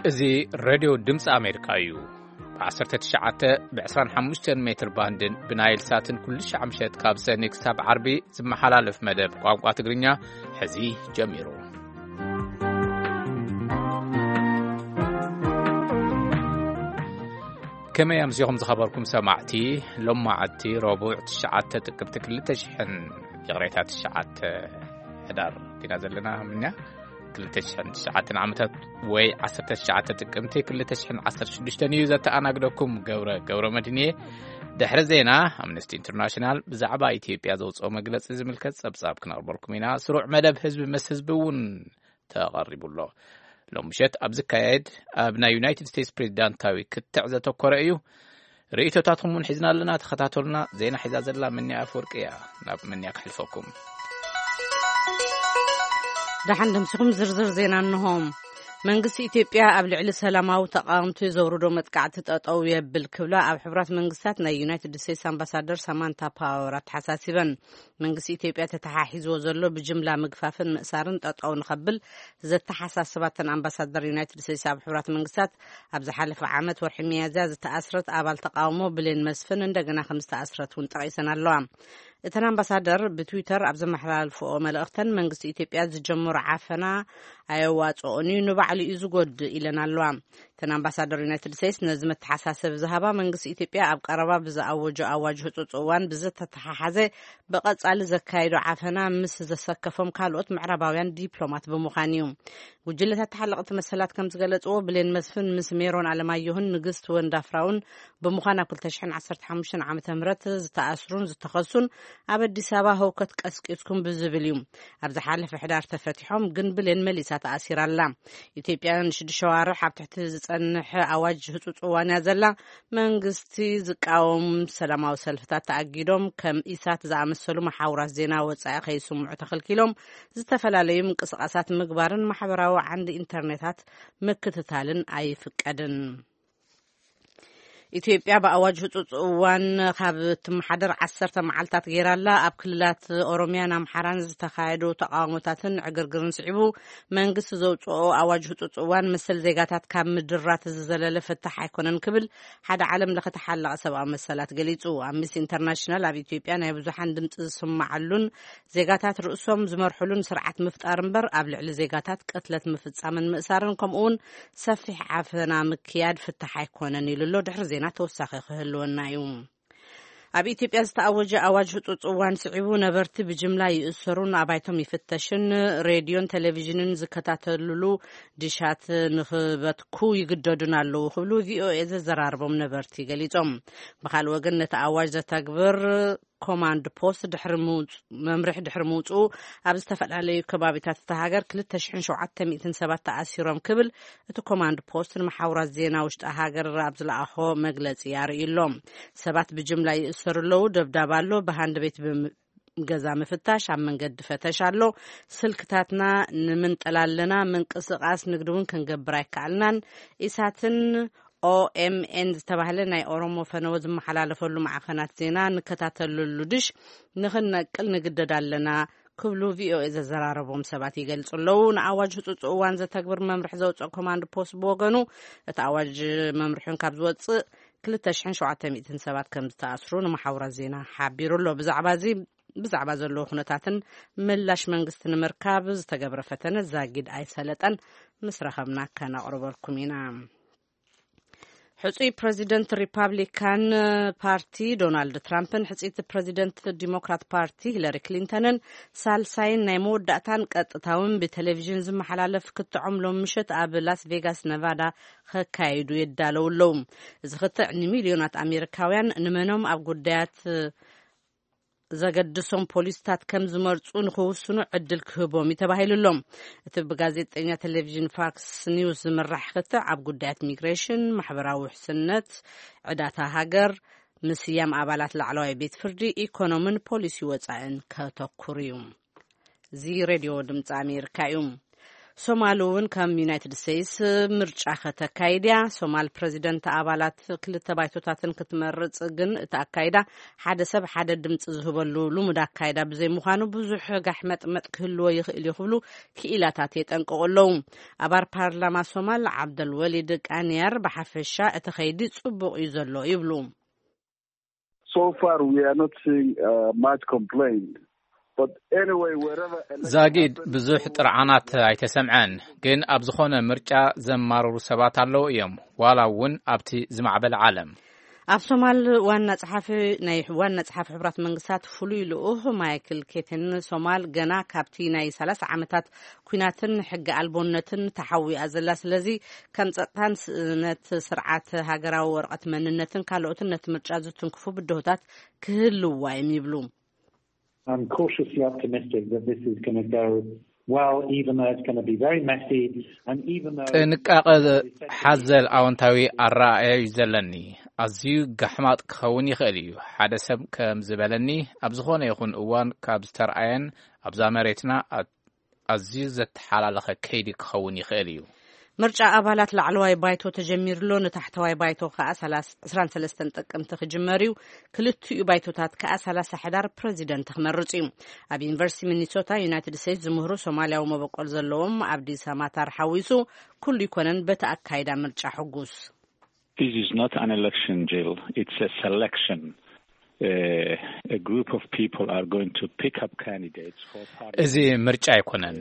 እዚ ሬድዮ ድምፂ ኣሜሪካ እዩ። ብ19 ብ25 ሜትር ባንድን ብናይል ሳትን ኩሉ ሻዕ ምሸት ካብ ሰኒ ክሳብ ዓርቢ ዝመሓላለፍ መደብ ቋንቋ ትግርኛ ሕዚ ጀሚሩ። ከመይ ኣምሲኹም ዝኸበርኩም ሰማዕቲ? ሎማዓቲ ረቡዕ ትሽዓተ ጥቅምቲ ክልተ ሽሕን፣ ይቕሬታ፣ ትሽዓተ ሕዳር ዲና ዘለና ምንያ? ክልተ ሽሕን ትሽዓተን ዓመታት ወይ ዓሰርተ ትሽዓተ ጥቅምቲ ክልተ ሽሕን ዓሰርተ ሽዱሽተን እዩ ዘተኣናግደኩም ገብረ ገብረ መድህንየ። ድሕሪ ዜና፣ ኣምነስቲ ኢንተርናሽናል ብዛዕባ ኢትዮጵያ ዘውፅኦ መግለፂ ዝምልከት ፀብፃብ ክነቕርበልኩም ኢና። ስሩዕ መደብ ህዝቢ ምስ ህዝቢ እውን ተቐሪቡ ኣሎ። ሎም ምሸት ኣብ ዝካየድ ኣብ ናይ ዩናይትድ ስቴትስ ፕሬዚዳንታዊ ክትዕ ዘተኮረ እዩ። ርእይቶታትኩም እውን ሒዝና ኣለና። ተኸታተሉና። ዜና ሒዛ ዘላ ምንያ ኣፈወርቂ እያ። ናብ ምንያ ክሕልፈኩም። ደሓን ደምሲኹም ዝርዝር ዜና እንሆ። መንግስቲ ኢትዮጵያ ኣብ ልዕሊ ሰላማዊ ተቃወምቲ ዘውርዶ መጥቃዕቲ ጠጠው የብል ክብላ ኣብ ሕቡራት መንግስታት ናይ ዩናይትድ ስቴትስ ኣምባሳደር ሳማንታ ፓወር ኣተሓሳሲበን። መንግስቲ ኢትዮጵያ ተተሓሒዝዎ ዘሎ ብጅምላ ምግፋፍን ምእሳርን ጠጠው ንኸብል ዘተሓሳስባተን ኣምባሳደር ዩናይትድ ስቴትስ ኣብ ሕቡራት መንግስታት፣ ኣብ ዝሓለፈ ዓመት ወርሒ ሚያዝያ ዝተኣስረት ኣባል ተቃውሞ ብሌን መስፍን እንደገና ከም ዝተኣስረት እውን ጠቒሰን ኣለዋ። እተን ኣምባሳደር ብትዊተር ኣብ ዘመሓላልፍኦ መልእኽተን፣ መንግስቲ ኢትዮጵያ ዝጀመሮ ዓፈና ኣየዋጽኦን እዩ፣ ንባዕሉ እዩ ዝጎድእ ኢለን ኣለዋ። እተን ኣምባሳደር ዩናይትድ ስቴትስ ነዚ መተሓሳሰቢ ዝሃባ፣ መንግስቲ ኢትዮጵያ ኣብ ቀረባ ብዝኣወጆ ኣዋጅ ህጹጽ እዋን ብዝተተሓሓዘ ብቐጻሊ ዘካየዶ ዓፈና ምስ ዘሰከፎም ካልኦት ምዕራባውያን ዲፕሎማት ብምዃን እዩ። ጉጅለታት ተሓለቕቲ መሰላት ከም ዝገለጽዎ፣ ብሌን መስፍን ምስ ሜሮን ኣለማየሁን ንግስቲ ወንዳፍራውን ብምዃን ኣብ ክልተ ሽሕን ዓሰርተ ሓሙሽተን ዓመተ ምህረት ዝተኣስሩን ዝተኸሱን ኣብ ኣዲስ ኣበባ ህውከት ቀስቂስኩም ብዝብል እዩ። ኣብ ዝሓለፈ ሕዳር ተፈቲሖም፣ ግን ብሌን መሊሳ ተኣሲራ ኣላ። ኢትዮጵያ ንሽዱሽተ ኣዋርሕ ኣብ ትሕቲ ዝጸንሐ ኣዋጅ ህጹጽ እዋን እያ ዘላ። መንግስቲ ዝቃወም ሰላማዊ ሰልፍታት ተኣጊዶም፣ ከም ኢሳት ዝኣመሰሉ መሓውራት ዜና ወጻኢ ከይስምዑ ተኸልኪሎም፣ ዝተፈላለዩ ምንቅስቓሳት ምግባርን ማሕበራዊ ዓንዲ ኢንተርኔታት ምክትታልን ኣይፍቀድን። ኢትዮጵያ ብኣዋጅ ህጹጽ እዋን ካብ እትመሓደር ዓሰርተ መዓልታት ገይራ ኣላ። ኣብ ክልላት ኦሮሚያን ኣምሓራን ዝተኻየዱ ተቃውሞታትን ዕግርግርን ስዒቡ፣ መንግስቲ ዘውጽኦ ኣዋጅ ህጹጽ እዋን መሰል ዜጋታት ካብ ምድራት ዝዘለለ ፍታሕ ኣይኮነን ክብል ሓደ ዓለም ለኸ ተሓላቒ ሰብኣዊ መሰላት ገሊጹ። ኣምነስቲ ኢንተርናሽናል ኣብ ኢትዮጵያ ናይ ብዙሓን ድምጺ ዝስማዓሉን ዜጋታት ርእሶም ዝመርሕሉን ስርዓት ምፍጣር እምበር፣ ኣብ ልዕሊ ዜጋታት ቅትለት ምፍጻምን ምእሳርን፣ ከምኡ እውን ሰፊሕ ዓፈና ምክያድ ፍታሕ ኣይኮነን ኢሉ ኣሎ። ድሕሪ ዜና ተወሳኺ ክህልወና እዩ። ኣብ ኢትዮጵያ ዝተኣወጀ ኣዋጅ ህጹጽ እዋን ስዒቡ፣ ነበርቲ ብጅምላ ይእሰሩን ኣባይቶም ይፍተሽን፣ ሬድዮን ቴሌቪዥንን ዝከታተልሉ ዲሻት ንኽበትኩ ይግደዱን ኣለዉ ክብሉ ቪኦኤ ዘዘራርቦም ነበርቲ ገሊጾም። ብኻልእ ወገን፣ ነቲ ኣዋጅ ዘተግብር ኮማንድ ፖስት ድሕሪ ምውጽ-፣ መምርሒ ድሕሪ ምውጽኡ፣ ኣብ ዝተፈላለዩ ከባቢታት እታ ሃገር ክልተ ሽሕን ሸውዓተ ሚእትን ሰባት ተኣሲሮም ክብል እቲ ኮማንድ ፖስት ንመሓውራት ዜና ውሽጢ ሃገር ኣብ ዝለኣኾ መግለጺ ኣርእዩ ኣሎ። ሰባት ብጅምላ ይእሰሩ ኣለዉ፣ ደብዳብ ኣሎ፣ ብሃንድ ቤት ብም-፣ ገዛ ምፍታሽ፣ ኣብ መንገዲ ፈተሽ ኣሎ፣ ስልክታትና ንምንጠል ኣለና፣ ምንቅስቓስ ንግዲ እውን ክንገብር ኣይከኣልናን። ኢሳትን ኦኤምኤን ዝተባህለ ናይ ኦሮሞ ፈነወ ዝመሓላለፈሉ ማዕኸናት ዜና ንከታተለሉ ድሽ ንኽንነቅል ንግደድ ኣለና ክብሉ ቪኦኤ ዘዘራረቦም ሰባት ይገልጹ ኣለዉ። ንኣዋጅ ህጹጽ እዋን ዘተግብር መምርሒ ዘውጽኦ ኮማንድ ፖስት ብወገኑ፣ እቲ ኣዋጅ መምርሒን ካብ ዝወጽእ ክልተ ሽሕን ሸውዓተ ሚእትን ሰባት ከም ዝተኣስሩ ንመሓውራት ዜና ሓቢሩ ኣሎ። ብዛዕባ እዚ፣ ብዛዕባ ዘለዉ ኩነታትን ምላሽ መንግስቲ ንምርካብ ዝተገብረ ፈተነ ዛጊድ ኣይሰለጠን። ምስ ረኸብና ከነቕርበልኩም ኢና። ሕጹይ ፕረዚደንት ሪፓብሊካን ፓርቲ ዶናልድ ትራምፕን ሕጽይቲ ፕረዚደንት ዲሞክራት ፓርቲ ሂለሪ ክሊንተንን ሳልሳይን ናይ መወዳእታን ቀጥታውን ብቴሌቪዥን ዝመሓላለፍ ክትዖም ሎም ምሸት ኣብ ላስ ቬጋስ ነቫዳ ከካይዱ የዳለዉ ኣለዉ። እዚ ክትዕ ንሚልዮናት ኣሜሪካውያን ንመኖም ኣብ ጉዳያት ዘገድሶም ፖሊስታት ከም ዝመርጹ ንኽውስኑ ዕድል ክህቦም እዩ ተባሂሉ ኣሎ። እቲ ብጋዜጠኛ ቴሌቪዥን ፋክስ ኒውስ ዝምራሕ ክትዕ ኣብ ጉዳያት ሚግሬሽን፣ ማሕበራዊ ውሕስነት፣ ዕዳታ ሃገር፣ ምስያም ኣባላት ላዕለዋይ ቤት ፍርዲ፣ ኢኮኖምን ፖሊሲ ወጻእን ከተኩር እዩ። እዚ ሬድዮ ድምፂ ኣሜሪካ እዩ። ሶማል እውን ከም ዩናይትድ ስቴትስ ምርጫ ከተካይድ እያ። ሶማል ፕሬዚደንት ኣባላት ክልተ ባይቶታትን ክትመርጽ፣ ግን እቲ ኣካይዳ ሓደ ሰብ ሓደ ድምፂ ዝህበሉ ልሙድ ኣካይዳ ብዘይምዃኑ ብዙሕ ጋሕ መጥመጥ ክህልዎ ይኽእል እዩ ክብሉ ክኢላታት የጠንቅቑ ኣለዉ። ኣባል ፓርላማ ሶማል ዓብደል ወሊድ ቃንያር ብሓፈሻ እቲ ኸይዲ ጽቡቕ እዩ ዘሎ ይብሉ። So far, we are not seeing uh, much complaint. But anyway, wherever election ዛጊድ happens, ብዙሕ ጥርዓናት ኣይተሰምዐን፣ ግን ኣብ ዝኾነ ምርጫ ዘማርሩ ሰባት ኣለዉ እዮም፣ ዋላ እውን ኣብቲ ዝማዕበለ ዓለም። ኣብ ሶማል ዋና ጸሓፊ ናይ ዋና ጸሓፊ ሕቡራት መንግስታት ፍሉይ ልኡኽ ማይክል ኬትን፣ ሶማል ገና ካብቲ ናይ ሰላሳ ዓመታት ኲናትን ሕጊ ኣልቦነትን ተሓዊኣ ዘላ፣ ስለዚ ከም ጸጥታን ስእነት ስርዓት ሃገራዊ ወረቐት መንነትን ካልኦትን ነቲ ምርጫ ዝትንክፉ ብድሆታት ክህልዋ እዮም ይብሉ። I'm cautiously optimistic that this is going to go well, even though it's going to be very messy, and even though ጥንቃቐ ሓዘል ኣወንታዊ ኣረኣእያ እዩ ዘለኒ። ኣዝዩ ጋሕማጥ ክኸውን ይኽእል እዩ። ሓደ ሰብ ከም ዝበለኒ፣ ኣብ ዝኾነ ይኹን እዋን ካብ ዝተርኣየን ኣብዛ መሬትና ኣ- ኣዝዩ ዘተሓላለኸ ከይዲ ክኸውን ይኽእል እዩ። ምርጫ ኣባላት ላዕለዋይ ባይቶ ተጀሚሩሎ፣ ንታሕተዋይ ባይቶ ከኣ ዕስራን ሰለስተን ጥቅምቲ ክጅመር እዩ። ክልቲኡ ባይቶታት ከኣ ሰላሳ ሕዳር ፕረዚደንት ክመርጽ እዩ። ኣብ ዩኒቨርሲቲ ሚኒሶታ ዩናይትድ ስቴትስ ዝምህሩ ሶማልያዊ መበቆል ዘለዎም ኣብዲ ሳማታር ሓዊሱ ኩሉ ይኮነን በቲ ኣካይዳ ምርጫ ሕጉስ። This is not an election, Jill. It's a selection. Uh, a group of people are going to pick up candidates for parliament. እዚ ምርጫ ኣይኮነን፣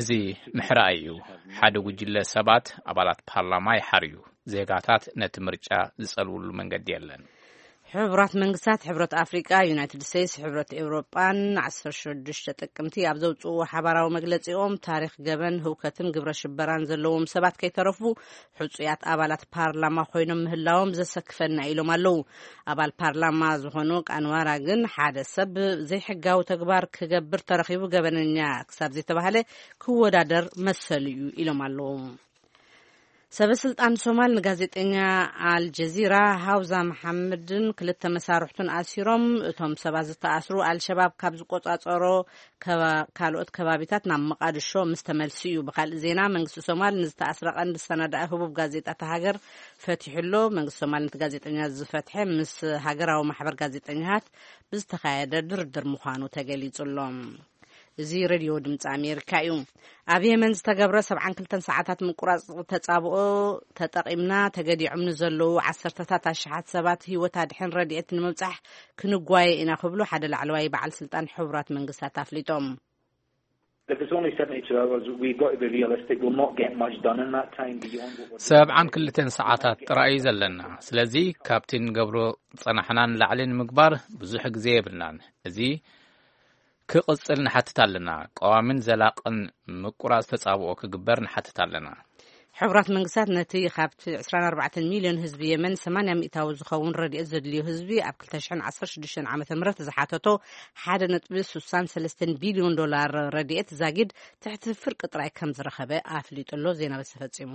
እዚ ምሕራይ እዩ። ሓደ ጉጅለ ሰባት ኣባላት ፓርላማ ይሓርዩ። ዜጋታት ነቲ ምርጫ ዝጸልውሉ መንገዲ የለን። ሕቡራት መንግስታት፣ ሕብረት ኣፍሪቃ፣ ዩናይትድ ስቴትስ፣ ሕብረት ኤውሮጳን ዓሰርተ ሽዱሽተ ጥቅምቲ ኣብ ዘውፅእዎ ሓባራዊ መግለፂኦም፣ ታሪኽ ገበን፣ ህውከትን ግብረ ሽበራን ዘለዎም ሰባት ከይተረፉ ሕፁያት ኣባላት ፓርላማ ኮይኖም ምህላዎም ዘሰክፈና ኢሎም ኣለዉ። ኣባል ፓርላማ ዝኾኑ ቃንዋራ ግን ሓደ ሰብ ዘይሕጋዊ ተግባር ክገብር ተረኺቡ ገበነኛ ክሳብ ዘይተባህለ ክወዳደር መሰሉ እዩ ኢሎም ኣለዉ። ሰበ ስልጣን ሶማል ንጋዜጠኛ ኣልጀዚራ ሃውዛ መሓመድን ክልተ መሳርሕቱን ኣሲሮም። እቶም ሰባት ዝተኣስሩ ኣልሸባብ ካብ ዝቆጻጸሮ ከባ- ካልኦት ከባቢታት ናብ መቃድሾ ምስ ተመልሱ እዩ። ብካልእ ዜና መንግስቲ ሶማል ንዝተኣስረ ቀንዲ ሰናዳኢ ህቡብ ጋዜጣ እታ ሃገር ፈቲሑ ኣሎ። መንግስቲ ሶማል ነቲ ጋዜጠኛ ዝፈትሐ ምስ ሃገራዊ ማሕበር ጋዜጠኛታት ብዝተኻየደ ድርድር ምዃኑ ተገሊጹ ኣሎ። እዚ ሬድዮ ድምፂ ኣሜሪካ እዩ። ኣብ የመን ዝተገብረ ሰብዓን ክልተን ሰዓታት ምቁራፅ ተፃብኦ ተጠቒምና ተገዲዖም ንዘለዉ ዓሰርተታት ኣሽሓት ሰባት ህይወት ኣድሕን ረድኤት ንምብፃሕ ክንጓየ ኢና ክብሉ ሓደ ላዕለዋይ በዓል ስልጣን ሕቡራት መንግስታት ኣፍሊጦም። If it's only seventy-two hours, we've got to be realistic. We'll not get much done in that time beyond what we're doing. ሰብዓን ክልተን ሰዓታት ጥራይ እዩ ዘለና። ስለዚ ካብቲ ንገብሮ ዝጸናሕና ንላዕሊ ንምግባር ብዙሕ ግዜ የብልናን። እዚ ክቕጽል ንሓትት ኣለና። ቀዋምን ዘላቕን ምቁራጽ ተጻብኦ ክግበር ንሓትት ኣለና። ሕቡራት መንግስታት ነቲ ካብቲ ዕስራን ኣርባዕተን ሚልዮን ህዝቢ የመን ሰማንያ ሚእታዊ ዝኸውን ረድኤት ዘድልዮ ህዝቢ ኣብ ክልተ ሽሕን ዓሰርተ ሽዱሽተን ዓመተ ምህረት ዝሓተቶ ሓደ ነጥቢ ስሳን ሰለስተን ቢልዮን ዶላር ረድኤት ዛጊድ ትሕቲ ፍርቂ ጥራይ ከም ዝረኸበ ኣፍሊጡ ኣሎ። ዜና በዚ ተፈጺሙ።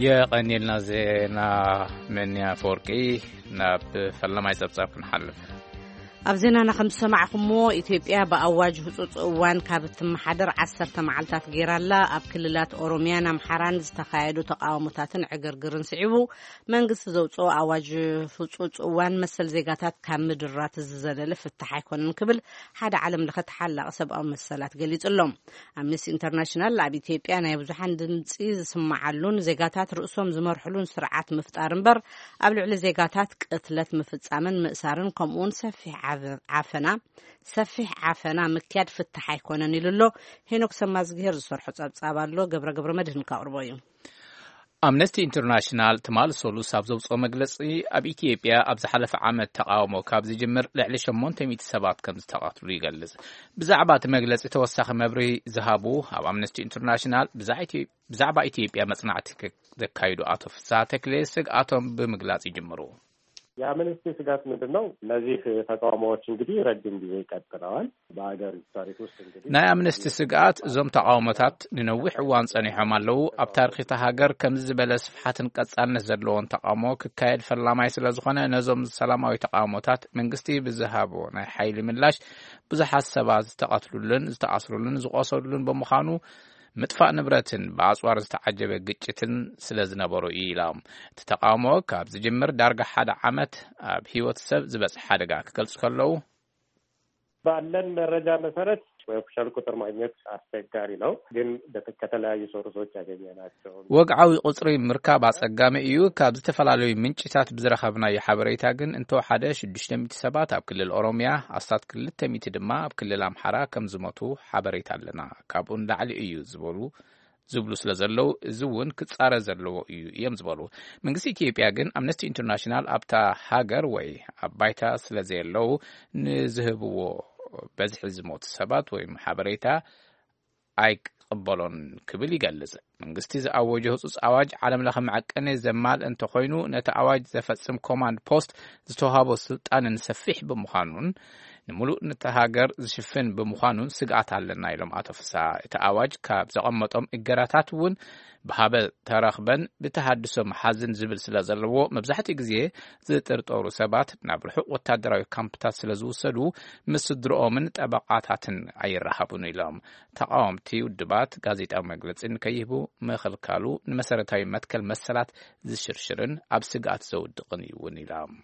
የቐንየልና ዜና መኒ ኣፈወርቂ። ናብ ፈለማይ ጸብጻብ ክንሓልፍ። ኣብ ዜናና ከም ዝሰማዕኹሞ፣ ኢትዮጵያ ብኣዋጅ ህጹጽ እዋን ካብ እትመሓደር ዓሰርተ መዓልታት ገይራ ኣላ። ኣብ ክልላት ኦሮሚያን ኣምሓራን ዝተኻየዱ ተቃውሞታትን ዕግርግርን ስዒቡ መንግስቲ ዘውጽኦ ኣዋጅ ህጹጽ እዋን መሰል ዜጋታት ካብ ምድራት ዝዘለለ ፍታሕ ኣይኮነን ክብል ሓደ ዓለም ለኸ ተሓላቒ ሰብኣዊ መሰላት ገሊጹ ኣሎ። ኣምነስቲ ኢንተርናሽናል ኣብ ኢትዮጵያ ናይ ብዙሓን ድምጺ ዝስምዓሉን ዜጋታት ርእሶም ዝመርሕሉን ስርዓት ምፍጣር እምበር ኣብ ልዕሊ ዜጋታት ቅትለት ምፍጻምን ምእሳርን ከምኡውን ሰፊሕ ዓፈ- ዓፈና ሰፊሕ ዓፈና ምክያድ ፍታሕ ኣይኮነን ኢሉ ኣሎ። ሄኖክ ሰማዝግሄር ዝሰርሖ ጸብጻብ ኣሎ። ገብረ ገብረ መድህን ካቕርቦ እዩ። ኣምነስቲ ኢንተርናሽናል ትማል ሰሉስ ኣብ ዘውፅኦ መግለፂ፣ ኣብ ኢትዮጵያ ኣብ ዝሓለፈ ዓመት ተቃውሞ ካብ ዝጅምር ልዕሊ ሸሞንተ ሚእቲ ሰባት ከም ዝተቐትሉ ይገልጽ። ብዛዕባ እቲ መግለፂ ተወሳኺ መብርሂ ዝሃቡ ኣብ ኣምነስቲ ኢንተርናሽናል ብዛዕ ኢትዮ- ብዛዕባ ኢትዮጵያ መፅናዕቲ ከ- ዘካይዱ ኣቶ ፍስሃ ተክሌ ስግኣቶም ብምግላፅ ይጅምሩ። የአምነስቲ ስጋት ምንድን ነው? እነዚህ ተቃውሞዎች እንግዲህ ረጅም ጊዜ ቀጥለዋል። በሀገር ታሪክ ውስጥ እንግዲህ ናይ ኣምነስቲ ስግኣት፣ እዞም ተቓውሞታት ንነዊሕ እዋን ጸኒሖም ኣለዉ። ኣብ ታሪኽ እታ ሃገር ከምዚ ዝበለ ስፍሓትን ቀጻልነት ዘለዎን ተቓውሞ ክካየድ ፈላማይ ስለ ዝኾነ፣ ነዞም ሰላማዊ ተቓውሞታት መንግስቲ ብዝሃቦ ናይ ሓይሊ ምላሽ፣ ብዙሓት ሰባት ዝተቐትሉሉን ዝተኣስሩሉን ዝቖሰሉሉን ብምዃኑ፣ ምጥፋእ ንብረትን ብኣጽዋር ዝተዓጀበ ግጭትን ስለ ዝነበሩ እዩ ኢሎም። እቲ ተቓውሞ ካብ ዝጅምር ዳርጋ ሓደ ዓመት ኣብ ህይወት ሰብ ዝበጽሕ ሓደጋ ክገልጹ ከለዉ፣ ባለን መረጃ መሰረት የኦፊሻል ቁጥር ማግኘት አስቸጋሪ ነው፣ ግን በተ- ከተለያዩ ሶርሶች ያገኘናቸው ወግዓዊ ቁጽሪ ምርካብ ኣጸጋሚ እዩ። ካብ ዝተፈላለዩ ምንጭታት ብዝረኸብናዮ ሓበሬታ ግን፣ እንተወሓደ ሽዱሽተ ሚእቲ ሰባት ኣብ ክልል ኦሮሚያ፣ ኣስታት ክልተ ሚእቲ ድማ ኣብ ክልል ኣምሓራ ከም ዝሞቱ ሓበሬታ ኣለና። ካብኡ ንላዕሊ እዩ ዝበሉ ዝብሉ ስለ ዘለዉ፣ እዚ እውን ክጻረ ዘለዎ እዩ እዮም ዝበሉ። መንግስቲ ኢትዮጵያ ግን፣ ኣምነስቲ ኢንተርናሽናል ኣብታ ሃገር ወይ ኣብ ባይታ ስለ ዘየለዉ፣ ንዝህብዎ በዝሒ ዝሞቱ ሰባት ወይ ሓበሬታ ኣይቅበሎን ክብል ይገልጽ። መንግስቲ ዝኣወጆ ህጹጽ ኣዋጅ ዓለም ለኸ መዐቀኒ ዘማልእ እንተኾይኑ፣ ነቲ ኣዋጅ ዘፈጽም ኮማንድ ፖስት ዝተዋህቦ ስልጣንን ሰፊሕ ብምዃኑን፣ ንምሉእ ነቲ ሃገር ዝሽፍን ብምዃኑን ስግኣት ኣለና ኢሎም ኣቶ ፍስሃ። እቲ ኣዋጅ ካብ ዘቐመጦም እገዳታት እውን ብሃበ ተረኽበን ብተሃድሶ መሓዝን ዝብል ስለ ዘለዎ፣ መብዛሕትኡ ግዜ ዝጥርጠሩ ሰባት ናብ ርሑቕ ወታደራዊ ካምፕታት ስለ ዝውሰዱ፣ ምስ ስድርኦምን ጠበቓታትን ኣይረሃቡን ኢሎም። ተቓወምቲ ውድባት ጋዜጣዊ መግለጺ ንከይህቡ ምኽልካሉ ንመሰረታዊ መትከል መሰላት ዝሽርሽርን ኣብ ስግኣት ዘውድቕን እዩ እውን ኢሎም።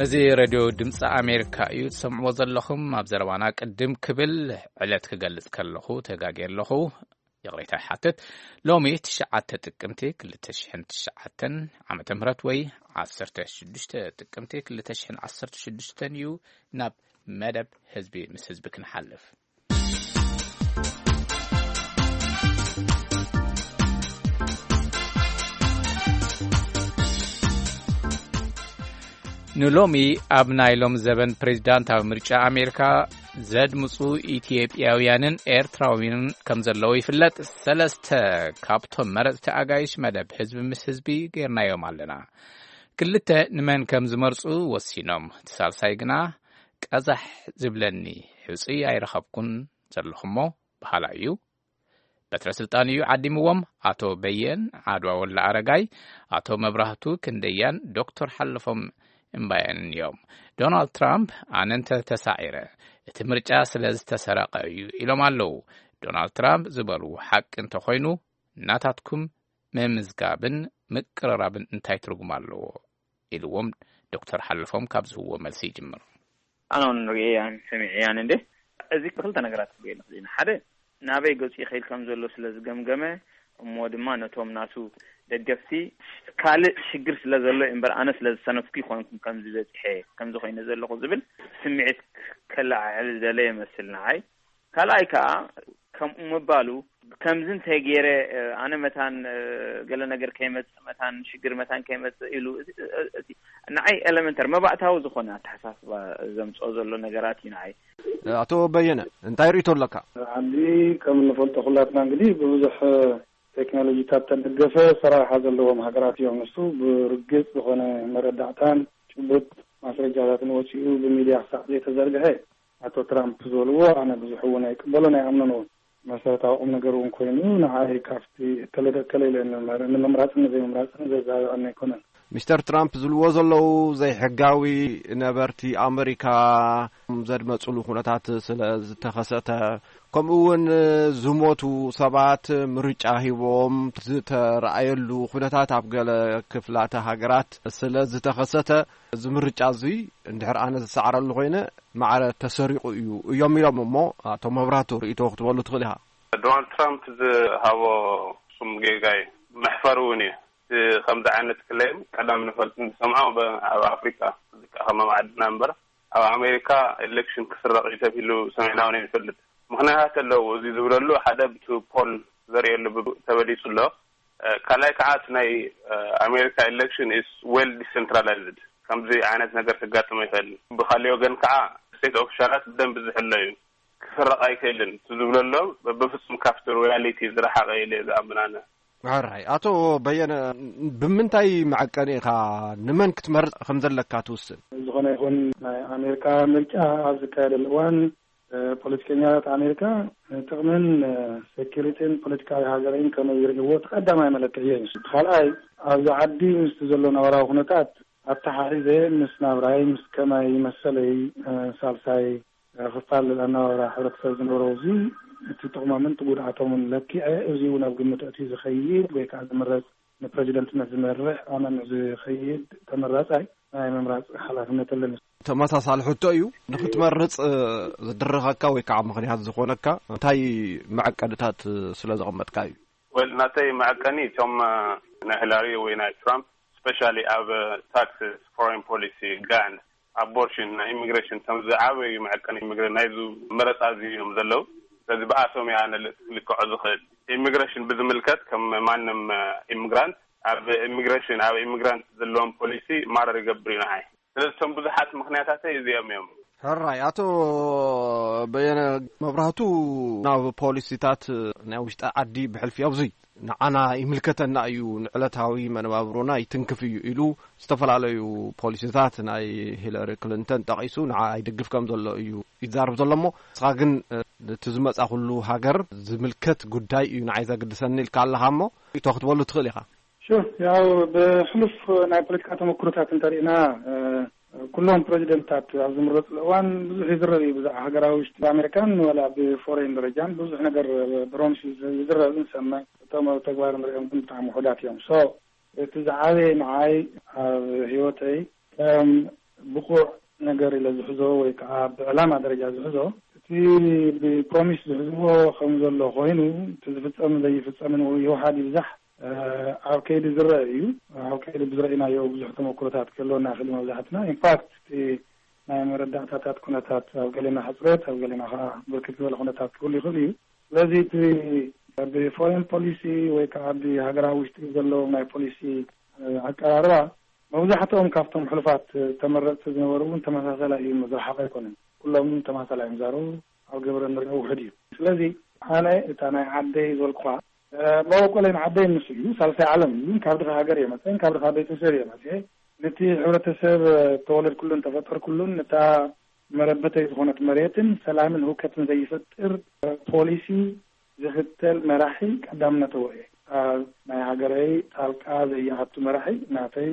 እዚ ሬድዮ ድምፂ ኣሜሪካ እዩ ትሰምዕዎ ዘለኹም። ኣብ ዘረባና ቅድም ክብል ዕለት ክገልጽ ከለኹ ተጋግየ ኣለኹ። ይቕሬታ ይሓትት። ሎሚ ትሽዓተ ጥቅምቲ ክልተ ሽሕን ትሽዓተን ዓመተ ምህረት ወይ ዓሰርተ ሽዱሽተ ጥቅምቲ ክልተ ሽሕን ዓሰርተ ሽዱሽተን እዩ። ናብ መደብ ህዝቢ ምስ ህዝቢ ክንሓልፍ። ንሎሚ ኣብ ናይ ሎም ዘበን ፕሬዚዳንታዊ ምርጫ ኣሜሪካ ዘድምፁ ኢትዮጵያውያንን ኤርትራውያንን ከም ዘለዉ ይፍለጥ። ሰለስተ ካብቶም መረፅቲ ኣጋይሽ መደብ ህዝቢ ምስ ህዝቢ ጌርናዮም ኣለና። ክልተ ንመን ከም ዝመርፁ ወሲኖም፣ እቲ ሳልሳይ ግና ቀዛሕ ዝብለኒ ሕፁይ ኣይረኸብኩን ዘለኹሞ በሃላ እዩ። በትረ ስልጣን እዩ ዓዲምዎም። ኣቶ በየን ዓድዋ ወላ ኣረጋይ፣ ኣቶ መብራህቱ ክንደያን ዶክተር ሓለፎም እምባየንን እዮም። ዶናልድ ትራምፕ፣ ኣነ እንተ ተሳዒረ፣ እቲ ምርጫ ስለ ዝተሰረቐ እዩ ኢሎም ኣለዉ። ዶናልድ ትራምፕ ዝበልዎ ሓቂ እንተኾይኑ፣ ናታትኩም ምምዝጋብን ምቅርራብን እንታይ ትርጉም ኣለዎ? ኢልዎም ዶክተር ሓለፎም ካብ ዝህብዎ መልሲ ይጅምር። ኣነ እውን ርእየያን ሰሚዐያን እንዴ። እዚ ክልተ ነገራት ክብየሉ ክእል ኢና። ሓደ፣ ናበይ ገጹ ይኸይድ ከም ዘሎ ስለ ዝገምገመ፣ እሞ ድማ ነቶም ናቱ ደገፍቲ፣ ካልእ ሽግር ስለ ዘሎ እምበር፣ ኣነ ስለ ዝሰነፍኩ ይኾንኩም ከምዚ በጺሐ፣ ከምዚ ኮይነ ዘለኹ ዝብል ስምዒት ከለዓዕል ዝደለየ ይመስል ንዓይ። ካልኣይ ከኣ፣ ከምኡ ምባሉ፣ ከምዚ እንተይ ገይረ፣ ኣነ መታን፣ ገለ ነገር ከይመጽእ፣ መታን ሽግር መታን ከይመጽእ ኢሉ፣ እቲ፣ እቲ ንዓይ ኤለመንተር መባእታዊ ዝኾነ ኣተሓሳስባ ዘምጽኦ ዘሎ ነገራት እዩ ንዓይ። ኣቶ በየነ፣ እንታይ ርእይቶ ኣለካ? ዓዲ ከም እንፈልጦ ኩላትና እንግዲህ ብብዙሕ ቴክኖሎጂታት ተደገፈ ሰራርሓ ዘለዎም ሃገራት እዮም። ንሱ ብርግጽ ዝኾነ መረዳእታን ጭቡጥ ማስረጃታትን ወጺኡ ብሚድያ ክሳዕ ዘይተዘርግሐ፣ ኣቶ ትራምፕ ዝበልዎ ኣነ ብዙሕ እውን ኣይቅበሎን ኣይኣምኖን እውን። መሰረታዊ ቁም ነገር እውን ኮይኑ ንዓይ ካብቲ እከለ ደከለ ኢለ ንምምራጽን ዘይምምራጽን ዘዛብዐኒ ኣይኮነን። ሚስተር ትራምፕ ዝብልዎ ዘለዉ ዘይሕጋዊ ነበርቲ ኣመሪካ ዘድመጽሉ ኩነታት ስለ ዝተኸሰተ፣ ከምኡ እውን ዝሞቱ ሰባት ምርጫ ሂቦም ዝተረኣየሉ ኩነታት ኣብ ገለ ክፍላተ ሃገራት ስለ ዝተኸሰተ፣ እዚ ምርጫ እዚ እንድሕር ኣነ ዝሰዓረሉ ኮይነ ማዕረ ተሰሪቑ እዩ እዮም ኢሎም። እሞ ኣቶ መብራህቱ ርእይቶ ክትበሉ ትኽእል ኢኻ። ዶናልድ ትራምፕ ዝሃቦ ስም ጌጋ እዩ፣ መሕፈሪ እውን እዩ። እቲ ከምዚ ዓይነት ክሌም ቀደም ንፈልጥ ንሰምዖ ብ-፣ ኣብ ኣፍሪካ፣ እዚ ከኣ ከማም ዓድና እምበር፣ ኣብ ኣሜሪካ ኤሌክሽን ክስረቕ እዩ ተባሂሉ ሰሚዕና እውን ኣይንፈልጥ። ምኽንያታት ኣለዎ እዚ ዝብለሉ። ሓደ፣ ብቲ ፖል ዘርእየሉ ብ-፣ ተበሊጹ ኣሎ። እ፣ ካልኣይ ከዓ እቲ ናይ፣ እ፣ ኣሜሪካ ኤሌክሽን ኢስ ዌል ዲሰንትራላይዝድ፣ ከምዚ ዓይነት ነገር ከጋጥም ይኽእል። ብካሊእ ወገን ከዓ ስቴት ኦፊሻላት ብደንብ ዝሕሎ እዩ። ክስረቕ ኣይክእልን። እቲ ዝብለሎ በፍጹም ካብቲ ሪያሊቲ ዝረሓቐ ኢለ ዝኣምን ኣነ። ሕራይ። ኣቶ በየነ፣ ብምንታይ መዐቀኒ ኢኻ ንመን ክትመርጽ ከም ዘለካ ትውስን? ዝኾነ ይኹን ናይ ኣሜሪካ ምርጫ ኣብ ዝካየደሉ እዋን፣ እ፣ ፖለቲከኛታት ኣሜሪካ፣ እ፣ ጥቕምን፣ እ፣ ሴኪሪቲን ፖለቲካዊ ሃገረይን ከመይ ይርእይዎ እቲ ቀዳማይ መለክዒ እዩ። እቲ ካልኣይ፣ ኣብዚ ዓዲ ምስቲ ዘሎ ነባራዊ ኩነታት ኣተሓሒዘ ምስ ናብራይ፣ ምስ ከማይ መሰለይ፣ እ፣ ሳልሳይ፣ እ፣ ክፋል ኣነባብራ ሕብረተሰብ ዝነበሮ፣ እዚ እቲ ጥቕሞምን እቲ ጉድኣቶምን ለኪዐ፣ እዚ እውን ኣብ ግምት ኣእትዩ ዝኸይድ ወይ ከዓ ዝምረጽ፣ ንፕረዚደንትነት ዝመርሕ ኣመን ዝኸይድ ተመራጻይ ናይ ምምራጽ ሓላፍነት ኣለኒ። ተመሳሳሊ ሕቶ እዩ። ንኽትመርጽ፣ እ፣ ዝድርኸካ ወይ ከዓ ምኽንያት ዝኾነካ እንታይ መዐቀንታት፣ እ፣ ስለ ዘቐመጥካ እዩ? ወል፣ ናተይ መዐቀኒ እቶም፣ እ፣ ናይ ሂላሪ ወይ ናይ ትራምፕ፣ ስፔሻሊ ኣብ፣ እ፣ ታክስስ፣ ፎሬን ፖሊሲ፣ ጋን፣ ኣቦርሽን፣ ናይ ኢሚግሬሽን፣ እቶም ዝዓበዩ መዐቀኒ ኢሚግሬሽን ናይዚ መረጻ እዚ እዮም ዘለዉ። ስለዚ ብኣቶም እየ ኣነ ል-፣ ልክዖ ዝኽእል። ኢሚግሬሽን ብዝምልከት ከም ማንም፣ እ፣ ኢሚግራንት ኣብ ኢሚግሬሽን፣ ኣብ ኢሚግራንት ዘለዎም ፖሊሲ ማረር ይገብር እዩ ንዓይ። ስለዚ እቶም ብዙሓት ምኽንያታተይ እዚኦም እዮም። ሕራይ። ኣቶ በየነ መብራህቱ፣ ናብ ፖሊሲታት ናይ ውሽጢ ዓዲ ብሕልፊ ኣብዙይ ንዓና ይምልከተና እዩ፣ ንዕለታዊ መነባብሮና ይትንክፍ እዩ ኢሉ ዝተፈላለዩ ፖሊሲታት ናይ ሂለሪ ክሊንተን ጠቒሱ ንዓ ኣይድግፍ ከም ዘሎ እዩ ይዛረብ ዘሎ። እሞ ንስኻ ግን፣ እ፣ እቲ ዝመጻ ኩሉ ሃገር ዝምልከት ጉዳይ እዩ ንዓይ ዘግድሰኒ ኢልካ ኣለኻ፣ እሞ ሪኢቶ ክትበሉ ትኽእል ኢኻ። ሹር፣ ያው ብሕሉፍ ናይ ፖለቲካ ተመክሮታት እንተሪእና፣ እ፣ ኩሎም ፕሬዚደንትታት ኣብ ዝምረፅሉ እዋን ብዙሕ ይዝረብ እዩ። ብዛዕባ ሃገራዊ ውሽጢ ኣሜሪካን ዋላ ብፎሬን ደረጃን ብዙሕ ነገር ፕሮሚስ ይዝረብ ንሰምዕ። እቶም ኣብ ተግባር ንሪኦም ግን ብጣዕሚ ውሑዳት እዮም። ሶ እቲ ዝዓበየ ንዓይ ኣብ ህይወተይ ከም ብቑዕ ነገር ኢለ ዝሕዞ ወይ ከዓ ብዕላማ ደረጃ ዝሕዞ፣ እቲ ብፕሮሚስ ዝሕዝዎ ከም ዘሎ ኮይኑ፣ እቲ ዝፍጸምን ዘይፍጸምን ይውሓድ ይብዛሕ፣ እ፣ ኣብ ከይዲ ዝረአ እዩ። ኣብ ከይዲ ብዝረእናዮ ብዙሕ ተመክሮታት ክህልወና ይኽእል እዩ። መብዛሕትና ኢንፋክት እቲ ናይ መረዳእታታት ኩነታት ኣብ ገሌና ሕፅረት፣ ኣብ ገሌና ከዓ ብርክት ዝበለ ኩነታት ክህሉ ይኽእል እዩ። ስለዚ እቲ ብፎሬን ፖሊሲ ወይ ከዓ ብሃገራዊ ውሽጢ ዘለዎም ናይ ፖሊሲ፣ እ፣ ኣቀራርባ መብዛሕትኦም ካብቶም ሕሉፋት ተመረፅቲ ዝነበሩ እውን ተመሳሳላይ እዩ፣ ዝረሓቐ ኣይኮነን። ኩሎም ተመሳሳላይ እዮም ዝዛረቡ፣ ኣብ ግብሪ ንሪኦ ውሕድ እዩ። ስለዚ ኣነ እታ ናይ ዓደይ ዝበልኩኻ፣ እ፣ መበቆለይ ንዓደይ ንሱ እዩ፣ ሳልሳይ ዓለም እዩ፣ ካብ ድኻ ሃገር እየ መፅአ፣ ካብ ድኻ ቤተሰብ እየ መፅአ። ነቲ ሕብረተሰብ፣ እ፣ ተወለድኩሉን ተፈጠርኩሉን፣ ነታ መረበተይ ዝኾነት መሬትን ሰላምን ህውከትን ዘይፈጥር፣ እ፣ ፖሊሲ ዝኽተል መራሒ ቀዳምነት እየ። ኣብ ናይ ሃገረይ ጣልቃ ዘይኣቱ መራሒ ናተይ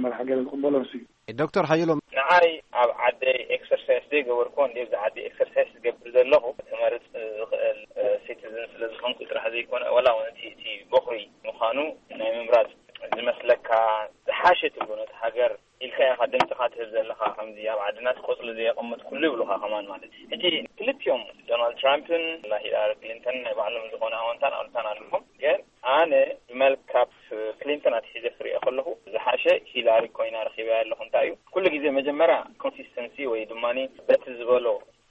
መራሒ ገለ ዝቕበሎ ንሱ እዩ። ዶክተር ሓየሎም። ንዓይ ኣብ ዓደይ ኤክሰርሳይስ ዘይገበርኩ እንደ ኣብዚ ዓዲ ኤክሰርሳይስ ዝገብር ዘለኹ ክመርፅ ዝኽእል፣ እ፣ ሲቲዝን ስለ ዝኾንኩ ጥራሕ ዘይኮነ፣ ወላ እውን እቲ፣ እቲ በኹሪ ምዃኑ ናይ ምምራፅ ዝመስለካ ዝሓሸ ትብሎ ነቲ ሃገር ኢልካ ኢኻ ድምፅኻ ትህብ ዘለኻ። ከምዚ ኣብ ዓድና እቲ ቆፅሊ ዘየቐመጥኩሉ ይብሉኻ ከማን ማለት እዩ። ሕጂ ክልቲኦም ዶናልድ ትራምፕን ሂላሪ ክሊንተን ናይ ባዕሎም ዝኾነ ኣወንታን ኣሉታን ኣለዎም። ግን ኣነ ብመልክዕ ክሊንተን ኣትሒዘ ክሪኦ ከለኹ ዝሓሸ ሂላሪ ኮይና ረኺበያ ኣለኹ። እንታይ እዩ ኩሉ ግዜ መጀመርያ ኮንሲስተንሲ ወይ ድማ በቲ ዝበሎ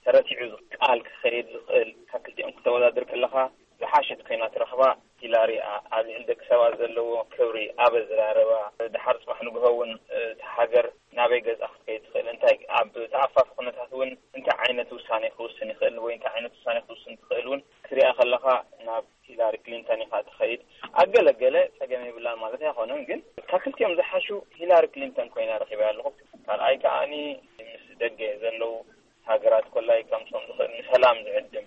ተረቲዑ ቃል ክኸይድ ዝኽእል ካብ ክልቲኦም ክተወዳድር ከለኻ ዝሓሸት ኮይና ትረኽባ ሂላሪ እያ። ኣብ ልዕሊ ደቂ ሰባት ዘለዎ ክብሪ፣ ኣብ ኣዘራርባ፣ ድሓር ጽባሕ ንግሆ እውን፣ እ፣ እታ ሃገር ናበይ ገጻ ክትከይድ ትኽእል፣ እንታይ ኣብ ተኣፋፊ ኩነታት እውን እንታይ ዓይነት ውሳኔ ክውስን ይኽእል ወይ እንታይ ዓይነት ውሳኔ ክውስን ትኽእል እውን ክትሪኣ ከለኻ ናብ ሂላሪ ክሊንተን ኢኻ ትኸይድ። ኣብ ገለ ገለ ጸገም የብላን ማለት ኣይኮነን፣ ግን ካብ ክልቲኦም ዝሓሹ ሂላሪ ክሊንተን ኮይና ረኺበያ ኣለኹ። ካልኣይ ከኣኒ ምስ ደገ ዘለዉ ሃገራት ኮላይ ከምሶም ዝኽእል ንሰላም ዝዕድም።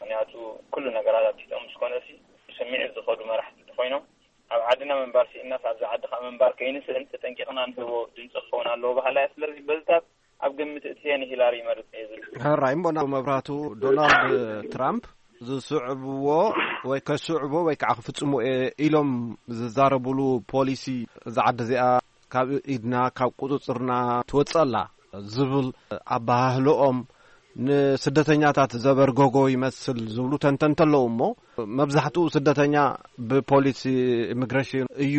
ምኽንያቱ ኩሉ ነገራት ኣብ ትሕቲኦም ምስ ኮነሲ ብስምዒት ዝኸዱ መራሕቲ እንተኾይኖም፣ ኣብ ዓድና ምንባር ስኢንናስ ኣብዚ ዓዲ ከዓ ምንባር ከይንስእን ተጠንቂቕና ንህቦ ድምፂ ክኸውን ኣለዎ በሃላይ። ስለዚ በዝታት ኣብ ግምት እትየ ንሂላሪ ይመርፅ እየ ዝብል። ሕራይ እሞ ናብ መብራቱ፣ ዶናልድ ትራምፕ ዝስዕብዎ ወይ ከስዕቦ ወይ ከዓ ክፍፅሙ እየ ኢሎም ዝዛረቡሉ ፖሊሲ እዛ ዓዲ እዚኣ ካብ ኢድና ካብ ቁፅፅርና ትወፅእ ኣላ ዝብል ኣበሃህልኦም ንስደተኛታት ዘበርገጎ ይመስል ዝብሉ ተንተንቲ ኣለዉ። እሞ መብዛሕትኡ ስደተኛ ብፖሊሲ ኢሚግሬሽን እዩ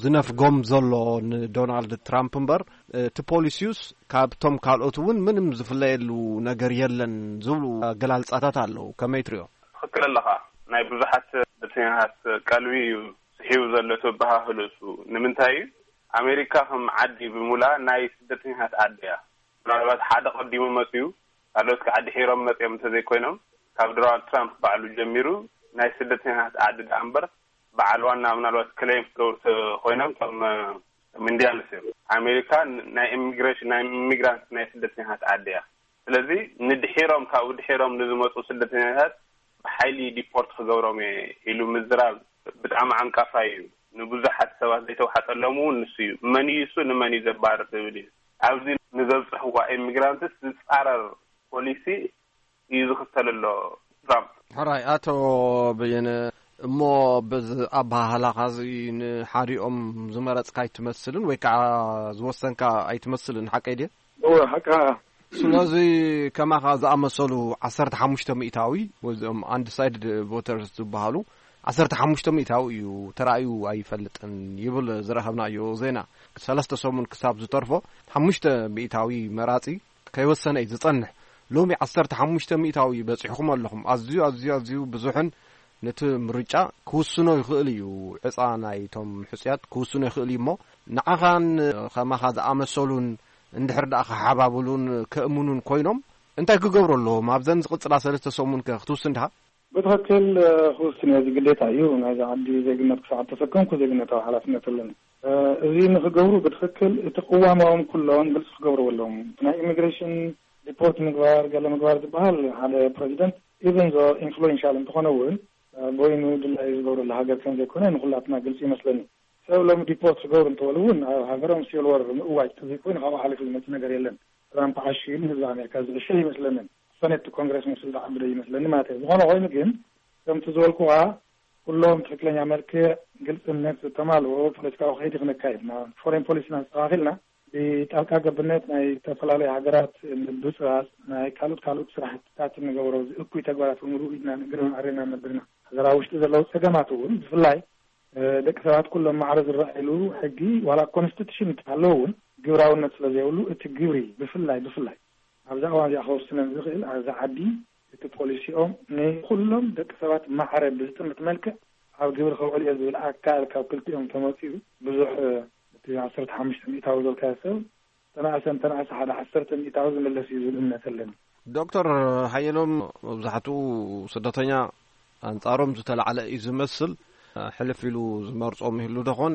ዝነፍጎም ዘሎ ንዶናልድ ትራምፕ እምበር፣ እቲ ፖሊሲዩስ ካብቶም ካልኦት እውን ምንም ዝፍለየሉ ነገር የለን ዝብሉ ኣገላልጻታት ኣለዉ። ከመይ ትሪኦ? ትኽክል ኣለኻ። ናይ ብዙሓት ስደተኛታት ቀልቢ እዩ ስሒቡ ዘሎ እቲ ኣበሃህልኡ እሱ። ንምንታይ እዩ? ኣሜሪካ ከም ዓዲ ብምሉኣ ናይ ስደተኛታት ዓዲ እያ። ምናልባት ሓደ ቀዲሙ መፅዩ፣ ካልኦት ከዓ ድሒሮም መፅዮም እንተዘይኮይኖም፣ ካብ ዶናልድ ትራምፕ ባዕሉ ጀሚሩ ናይ ስደተኛታት ዓዲ ደኣ እምበር በዓል ዋና ምናልባት ክሌም ክገብሩ ተ- ኮይኖም ከም እ፣ ከም ኢንዲያንስ እዮም። ኣሜሪካ ን- ናይ ኢሚግሬሽን ናይ ኢሚግራንት ናይ ስደተኛታት ዓዲ እያ። ስለዚ ንድሒሮም ካብኡ ድሒሮም ንዝመፁ ስደተኛታት ብሓይሊ ዲፖርት ክገብሮም እየ ኢሉ ምዝራብ ብጣዕሚ ዓንቃፋይ እዩ። ንብዙሓት ሰባት ዘይተዋሓጠሎም እውን ንሱ እዩ። መን እዩ እሱ ንመን እዩ ዘባርር ዝብል እዩ። ኣብዚ ንዘብፅሕዋ ኢሚግራንትስ ዝፃረር ፖሊሲ እዩ ዝኽተል ኣሎ ትራምፕ። ሕራይ ኣቶ በየነ፣ እሞ በዚ ኣባሃህላኻ እዚ ንሓዲኦም ዝመረፅካ ኣይትመስልን ወይ ከዓ ዝወሰንካ ኣይትመስልን፣ ሓቀይ ድየ? እወ፣ ሓቅኻ። ስለዚ ከማኻ ዝኣመሰሉ ዓሰርተ ሓሙሽተ ሚእታዊ ወይ እዚኦም ኣንዲሳይድድ ቮተርስ ዝበሃሉ ዓሰርተ ሓሙሽተ ሚእታዊ እዩ ተራእዩ ኣይፈልጥን ይብል ዝረኸብናዮ ዜና። ሰለስተ ሰሙን ክሳብ ዝተርፎ ሓሙሽተ ሚእታዊ መራፂ ከይወሰነ እዩ ዝጸንሕ። ሎሚ ዓሰርተ ሓሙሽተ ሚእታዊ በጺሕኩም ኣለኹም። ኣዝዩ፣ ኣዝዩ፣ ኣዝዩ ብዙሕን ነቲ ምርጫ ክውስኖ ይኽእል እዩ። ዕጻ ናይቶም ሕጹያት ክውስኖ ይኽእል እዩ እሞ፣ ንዓኻን ከማኻ ዝኣመሰሉን እንድሕር ደኣ ክሓባብሉን ከእምኑን ኮይኖም፣ እንታይ ክገብሩ ኣለዎም? ኣብዘን ዝቕጽላ ሰለስተ ሰሙን ከ ክትውስን ዲኻ? ብትኽክል፣ እ፣ ክውስን እየ። እዚ ግዴታ እዩ። ናይዛ ዓዲ ዜግነት ክሳዕ ተሰከምኩ ዜግነታዊ ሓላፍነት ኣለኒ። እ፣ እዚ ንኽገብሩ ብትኽክል እቲ ቅዋማዎም ኩሎም ግልፂ ክገብርዎ ኣለዎም። እቲ ናይ ኢሚግሬሽን ዲፖርት ምግባር፣ ገለ ምግባር ዝበሃል ሓደ ፕሬዚደንት ኢቨን ዞ ኢንፍሉዌንሻል እንተኾነ እውን፣ እ፣ በይኑ ድላዩ ዝገብረሉ ሃገር ከም ዘይኮነ ንኹላትና ግልፂ ይመስለኒ። ሰብ ሎሚ ዲፖርት ክገብሩ እንተበሉ እውን ኣብ ሃገሮም ሲቪል ወር ምእዋጅ ተዘይኮይኑ ካብኡ ሓሊፉ ዝመፅእ ነገር የለን። ትራምፕ ዓሽ ኢሉ ህዝቢ ኣሜሪካ ዝዕሸ ይመስለንን። ሰኔት ኮንግረስ ምስል ዝዓብደ ይመስለኒ ማለት እዩ። ዝኾነ ኮይኑ ግን ከምቲ ዝበልኩዋ ኩሎም ትኽክለኛ መልክዕ ግልፅነት ዝተማልኦ ፖለቲካዊ ከይዲ ክነካይድ ኢና። ፎሬን ፖሊሲና ኣስተኻኺልና ብጣልቃ ገብነት ናይ ዝተፈላለዩ ሃገራት ምብፅባፅ ናይ ካልኦት ካልኦት ስራሕትታት እንገብሮ እኩይ ተግባራት ብምሉእ ኢድና ንግርን ኣሬና ነብርና። ሃገራዊ ውሽጢ ዘለዉ ፀገማት እውን ብፍላይ እ፣ ደቂ ሰባት ኩሎም ማዕረ ዝረኣይሉ ሕጊ ዋላ ኮንስቲቱሽን እንተሃለወ እውን ግብራውነት ስለ ዘይብሉ እቲ ግብሪ ብፍላይ ብፍላይ ኣብዛ እዋን እዚኣ ከወስነን ዝኽእል ኣብዛ ዓዲ እቲ ፖሊሲኦም ንኩሎም ደቂ ሰባት ማዕረ ብዝጥምት መልክዕ ኣብ ግብሪ ከውዕል እየ ዝብል ኣካል ካብ ክልቲኦም ተመፂኡ ብዙሕ፣ እ፣ እቲ ዓሰርተ ሓሙሽተ ሚእታዊ ዘልካዮ ሰብ ተናእሰ እንተናእሰ ሓደ ዓሰርተ ሚእታዊ ዝምለስ እዩ ዝብል እምነት ኣለኒ። ዶክተር ሓየሎም፣ መብዛሕትኡ ስደተኛ ኣንጻሮም ዝተላዕለ እዩ ዝመስል። ሕልፍ ኢሉ ዝመርጾም ይህሉ ደኾን?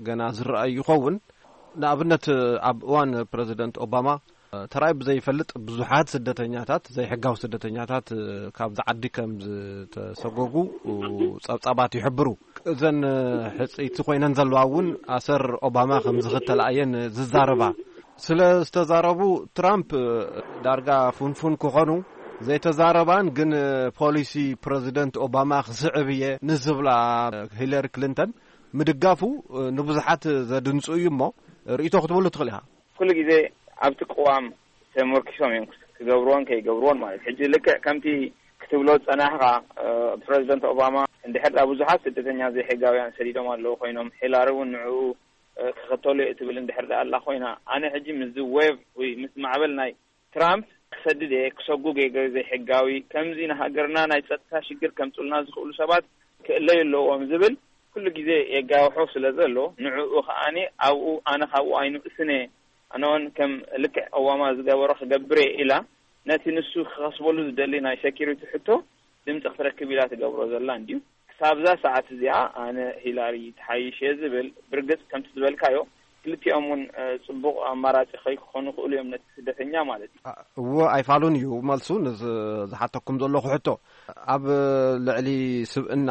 ገና ዝረኣይ ይኸውን። ንኣብነት ኣብ እዋን ፕረዚደንት ኦባማ ተራይ ብዘይፈልጥ ብዙሓት ስደተኛታት፣ ዘይሕጋዊ ስደተኛታት ካብዚ ዓዲ ከም ዝተሰጎጉ ጸብጻባት ይሕብሩ። እዘን ሕጽይቲ ኮይነን ዘለዋ እውን ኣሰር ኦባማ ከም ዝኽተላ እየን ዝዛረባ። ስለ ዝተዛረቡ ትራምፕ ዳርጋ ፍንፉን ክኾኑ ዘይተዛረባን ግን ፖሊሲ ፕረዚደንት ኦባማ ክስዕብ እየ ንዝብላ ሂለሪ ክሊንተን ምድጋፉ ንብዙሓት ዘድንጹ እዩ እሞ ርእይቶ ክትብሉ ትኽእል ኢኻ። ኩሉ ግዜ ኣብቲ ቅዋም ተመርኪሶም እዮም ክገብርዎን ከይገብርዎን ማለት። ሕጂ ልክዕ ከምቲ ክትብሎ ዝጸናሕኻ፣ እ፣ ፕረዚደንት ኦባማ እንድሕር ደኣ ብዙሓት ስደተኛ ዘይሕጋውያን ሰዲዶም ኣለዉ ኮይኖም፣ ሂላሪ እውን ንዕኡ፣ እ፣ ክኽተሉ እየ እትብል እንድሕር ደኣ ኣላ ኮይና፣ ኣነ ሕጂ ምስዚ ዌቭ ወይ ምስ ማዕበል ናይ ትራምፕ ክሰድድ እየ፣ ክሰጉግ እየ ዘይሕጋዊ፣ ከምዚ ንሃገርና ናይ ጸጥታ ሽግር ከምጽኡልና ዝኽእሉ ሰባት ክእለዩ ኣለዎም ዝብል ኩሉ ግዜ የጋውሖ ስለ ዘሎ፣ ንዕኡ ከኣኒ ኣብኡ ኣነ ካብኡ ኣይንእስን እየ። ኣነ እውን ከም ልክዕ ኦባማ ዝገበሮ ክገብር እየ ኢላ፣ ነቲ ንሱ ክኸስበሉ ዝደሊ ናይ ሴኪሪቲ ሕቶ ድምፂ ክትረክብ ኢላ ትገብሮ ዘላ እንድዩ። ክሳብዛ ሰዓት እዚኣ ኣነ ሂላሪ ትሓይሽ እየ ዝብል። ብርግፅ ከምቲ ዝበልካዮ ክልቲኦም እውን፣ እ፣ ፅቡቕ ኣማራፂ ከይክኾኑ ይኽእሉ እዮም ነቲ ስደተኛ ማለት እዩ። አ፣ እወ ኣይፋሉን እዩ መልሱ። ንዝ-፣ ዝሓተኩም ዘለኹ ሕቶ ኣብ ልዕሊ ስብእና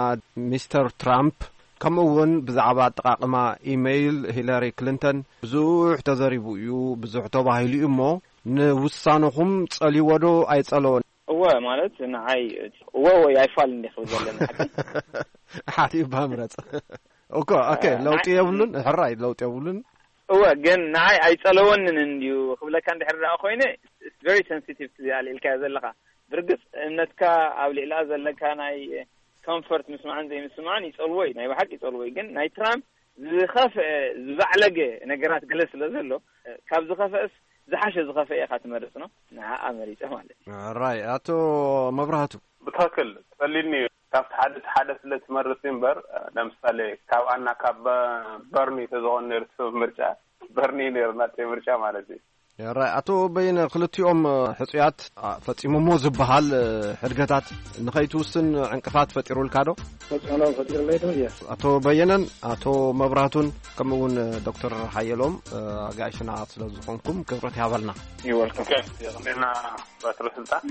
ሚስተር ትራምፕ ከምኡ እውን ብዛዕባ ኣጠቓቕማ ኢሜይል ሂለሪ ክሊንተን ብዙሕ ተዘሪቡ እዩ፣ ብዙሕ ተባሂሉ እዩ እሞ ንውሳነኹም ጸልይዎ ዶ ኣይጸለዎን? እወ ማለት ንዓይ እወ ወይ ኣይፋል እንዲ ክብል ዘለኒ ሓቂ። ሓቲ እባ ምረጽ። ኦኮ፣ ኦኬ፣ እ፣ ለውጢ ንዓይ የብሉን፣ ሕራይ ለውጢ የብሉን። እወ ግን ንዓይ ኣይጸለወንን እንድዩ ክብለካ እንድሕር ደኣ ኮይነ it's very sensitive to the ኣልዒልካዮ ዘለኻ። ብርግጽ እምነትካ ኣብ ልዕላ ዘለካ ናይ ኮምፈርት ምስማዕን ዘይምስማዕን ይጸልዎ እዩ፣ ናይ ብሓቂ ይጸልዎ እዩ። ግን ናይ ትራምፕ ዝኸፍአ ዝባዕለገ ነገራት ገለ ስለ ዘሎ፣ ካብ ዝኸፍአስ ዝሓሸ ዝኸፍአ ኢኻ ትመርጽ ነው። ንዓኣ መሪጸ ማለት እዩ። ራይ ኣቶ መብራህቱ። ብትኽክል ቀሊል እዩ። ካብቲ ሓደ እቲ ሓደ ስለ ትመርጽ እምበር፣ ለምሳሌ ካብ ኣና ካብ በ-፣ በርኒ ተዝኾን ነይሩ ሰብ ምርጫ፣ በርኒ ነይሩ ናተይ ምርጫ ማለት እዩ። ራይ፣ ኣቶ በየነ፣ ክልቲኦም ሕጹያት ፈጺሞሞ ዝበሃል ሕድገታት ንኸይትውስን ዕንቅፋት ፈጢሩልካ ዶ? ተጽዕኖ ፈጢሩለይ ዶ? እየ። ኣቶ በየነን ኣቶ መብራቱን ከምኡ እውን ዶክተር ሓየሎም ኣጋይሽና ስለ ዝኾንኩም ክብረት ይሃበልና። ይወልኩም። ና ባትሮ ስልጣን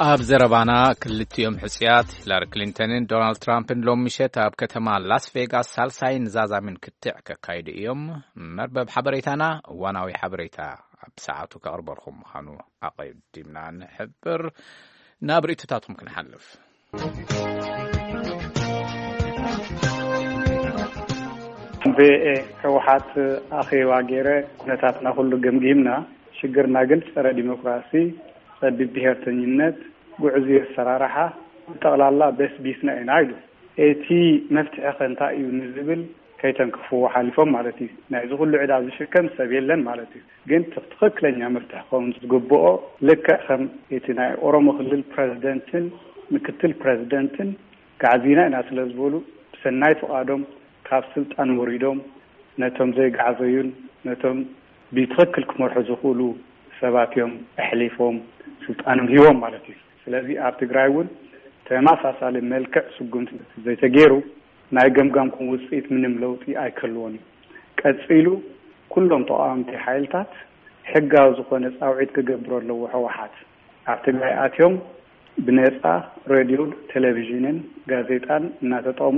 ኣብ ዘረባና፣ ክልቲኦም ሕጽያት ሂላሪ ክሊንተንን ዶናልድ ትራምፕን ሎም ምሸት ኣብ ከተማ ላስ ቬጋስ ሳልሳይን ዛዛምን ክትዕ ከካይዱ እዮም። መርበብ ሓበሬታና እዋናዊ ሓበሬታ ኣብ ሰዓቱ ከቕርበልኩም ምዃኑ ኣቐዲምና ንሕብር። ናብ ርእይቶታትኩም ክንሓልፍ። ቪኦኤ ህወሓት ኣኼባ ገይረ ኩነታትና ኩሉ ገምጊምና፣ ሽግርና ግን ጸረ ዲሞክራሲ፣ ጸቢብ ብሄርተኝነት፣ ጉዕዙ ኣሰራርሓ፣ ብጠቕላላ በስቢስና ኢና ኢሉ። እቲ መፍትሒ ከ እንታይ እዩ ንዝብል ከይተንክፍዎ ሓሊፎም ማለት እዩ። ናይዚ ኩሉ ዕዳ ዝሽከም ሰብ የለን ማለት እዩ። ግን ትኽክለኛ መፍትሒ ክኸውን ዝግብኦ ልክዕ ከም እቲ ናይ ኦሮሞ ክልል ፕረዚደንትን ምክትል ፕረዚደንትን ጋዕዚና ኢና ስለ ዝበሉ ብሰናይ ፍቓዶም ካብ ስልጣን ወሪዶም ነቶም ዘይጋዕዘዩን ነቶም ብትኽክል ክመርሑ ዝኽእሉ ሰባት እዮም ኣሕሊፎም ስልጣኖም ሂቦም ማለት እዩ። ስለዚ ኣብ ትግራይ እውን ተመሳሳሊ መልክዕ ስጉምቲ ዘይተገይሩ ናይ ገምጋምኩም ውፅኢት ምንም ለውጢ ኣይክህልዎን እዩ። ቀፂሉ ኩሎም ተቃወምቲ ሓይልታት ሕጋዊ ዝኾነ ፃውዒት ክገብሩ ኣለዎ። ህወሓት ኣብ ትግራይ ኣትዮም ብነፃ ሬድዮን ቴሌቪዥንን ጋዜጣን እናተጠሙ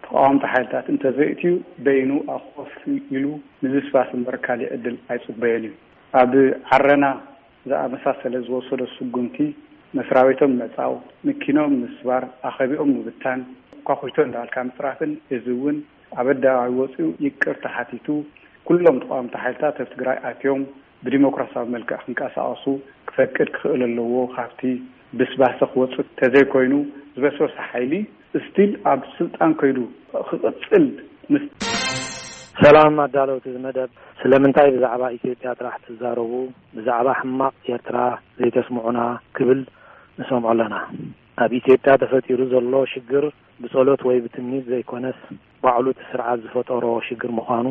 ተቃወምቲ ሓይልታት እንተዘይእትዩ በይኑ ኣብ ኮፍ ኢሉ ምብስባስ እምበር ካሊእ ዕድል ኣይፅበዮን እዩ። ኣብ ዓረና ዝኣመሳሰለ ዝወሰዶ ስጉምቲ መስራቤቶም ምዕፃው፣ መኪኖም ምስባር፣ ኣኸቢኦም ምብታን፣ ኳኹይቶ እንዳበልካ ምፅራፍን እዚ እውን ኣብ ኣደባባይ ወፂኡ ይቅርታ ሓቲቱ ኩሎም ተቃወምቲ ሓይልታት ኣብ ትግራይ ኣትዮም ብዲሞክራሲያዊ መልክዕ ክንቀሳቀሱ ክፈቅድ ክኽእል ኣለዎ። ካብቲ ብስባሰ ክወፅእ ተዘይኮይኑ ዝበስበሰ ሓይሊ ስቲል ኣብ ስልጣን ከይዱ ክቕፅል ምስ ሰላም ኣዳለውቲ እዚ መደብ፣ ስለምንታይ ብዛዕባ ኢትዮጵያ ጥራሕ ትዛረቡ? ብዛዕባ ሕማቕ ኤርትራ ዘይተስምዑና ክብል ንሰምዖ ኣለና። ኣብ ኢትዮጵያ ተፈጢሩ ዘሎ ሽግር ብጸሎት ወይ ብትምኒት ዘይኮነስ ባዕሉ እቲ ስርዓት ዝፈጠሮ ሽግር ምዃኑ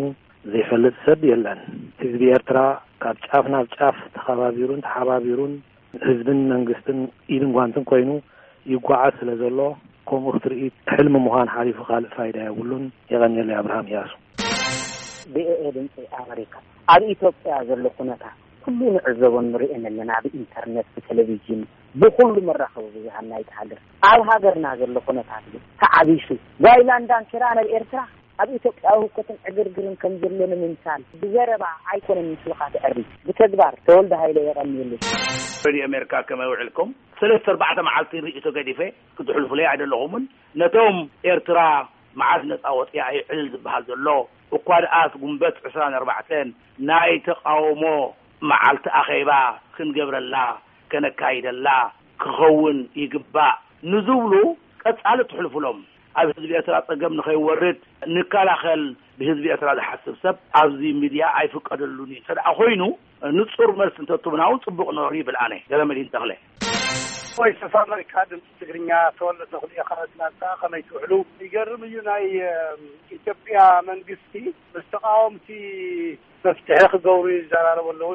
ዘይፈልጥ ሰብ የለን። ህዝቢ ኤርትራ ካብ ጫፍ ናብ ጫፍ ተኸባቢሩን ተሓባቢሩን ህዝብን መንግስትን ኢድን ጓንትን ኮይኑ ይጓዓዝ ስለ ዘሎ ከምኡ ክትርኢ ሕልሚ ምዃን ሓሊፉ ካልእ ፋይዳ የብሉን። የቐንየለይ። ኣብርሃም እያሱ። ቪኦኤ ድምፂ ኣመሪካ ኣብ ኢትዮጵያ ዘሎ ኩነታት ኩሉ ንዕዘቦን ንርእየን ኣለና። ብኢንተርነት፣ ብቴሌቪዥን፣ ብኩሉ መራኸቢ ብዙሃን ናይቲ ሃገር ኣብ ሃገርና ዘሎ ኩነታት ግን ተዓቢሱ ጓይላን ዳንኪራ ናብ ኤርትራ ኣብ ኢትዮጵያዊ ህውከትን ዕግርግርን ከም ዘሎ ንምምሳል ብዘረባ ኣይኮነን ምስልኻ ተዕሪ ብተግባር። ተወልደ ሃይለ የቐንየለይ። ሬድዮ ኣሜሪካ ከመይ ውዕልኩም? ሰለስተ ኣርባዕተ መዓልቲ ርእይቶ ገዲፈ ክትሕልፉለይ ኣይደለኹምን። ነቶም ኤርትራ መዓስ ነጻ ወጺኣ እዩ ዕልል ዝበሃል ዘሎ። እኳ ደኣስ ጉንበት ዕስራን ኣርባዕተን ናይ ተቓውሞ መዓልቲ ኣኼባ ክንገብረላ ከነካይደላ ክኸውን ይግባእ ንዝብሉ ቀጻሊ ትሕልፉሎም። ኣብ ህዝቢ ኤርትራ ጸገም ንኸይወርድ ንከላኸል ብህዝቢ ኤርትራ ዝሓስብ ሰብ ኣብዚ ሚድያ ኣይፍቀደሉን እዩ። እንተ ደኣ ኮይኑ ንጹር መልሲ እንተትቡና እውን ጽቡቕ ነሩ ይብል ኣነ ገረመድህን ተኽለ። ቮይስ ኦፍ ኣመሪካ ድምፂ ትግርኛ ተወልደ ተኽሉ እየ ካብ ኣትላንታ። ከመይ ትውዕሉ? ይገርም እዩ ናይ ኢትዮጵያ መንግስቲ ምስ ተቃወምቲ መፍትሒ ክገብሩ ይዘራረቡ ኣለዉ።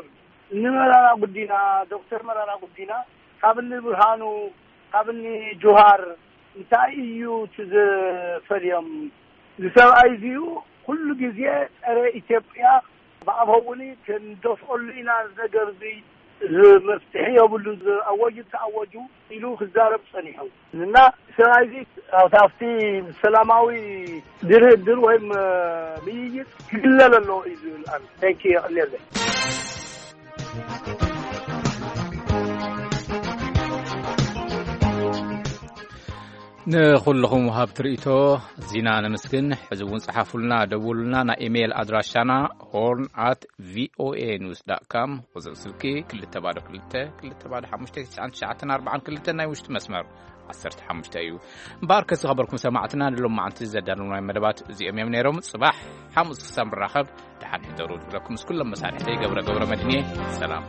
እኒ መራራ ጉዲና ዶክተር መራራ ጉዲና ካብ እኒ ብርሃኑ ካብ እኒ ጁሃር እንታይ እዩ እቲ ዝፈልዮም? እዚ ሰብኣይ እዚኡ ኩሉ ግዜ ፀረ ኢትዮጵያ ብኣፈውኒ ክንደፍኦሉ ኢና ነገር እዚ እዚ መፍትሒ የብሉ ዝኣወጁ ተኣወጁ ኢሉ ክዛረብ ፀኒሑ እና ሰብኣይ እዚ ኣብቲ ሰላማዊ ድርድር ወይም ምይይጥ ክግለል ኣለዎ እዩ ዝብል ኣነ። Thank you። የቐንየለይ። ንኹልኹም ወሃብቲ ርእይቶ ዚና ነመስግን። ሕዚ እውን ጸሓፉልና፣ ደውሉልና። ናይ ኢሜይል ኣድራሻና ሆርን ኣት ቪኦኤ ኒውስ ዳት ካም፣ ቁጽሪ ስልኪ ክልተ ባዶ ክልተ ክልተ ባዶ ሓሙሽተ ትሽዓን ትሽዓተን ኣርባዓን ክልተ፣ ናይ ውሽጢ መስመር ዓሰርተ ሓሙሽተ እዩ። እምበኣር ከዝኸበርኩም ሰማዕትና ንሎም መዓልቲ ዘዳለውናይ መደባት እዚኦም እዮም ነይሮም። ጽባሕ ሓሙስ ክሳብ ንራኸብ ደሓን ሕደሩ ዝብለኩም ምስ ኩሎም መሳርሕተይ ገብረ ገብረ መድህንየ ሰላም።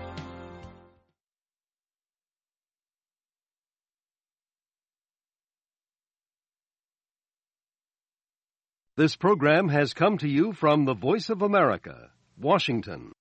This program has come to you from the Voice of America, Washington.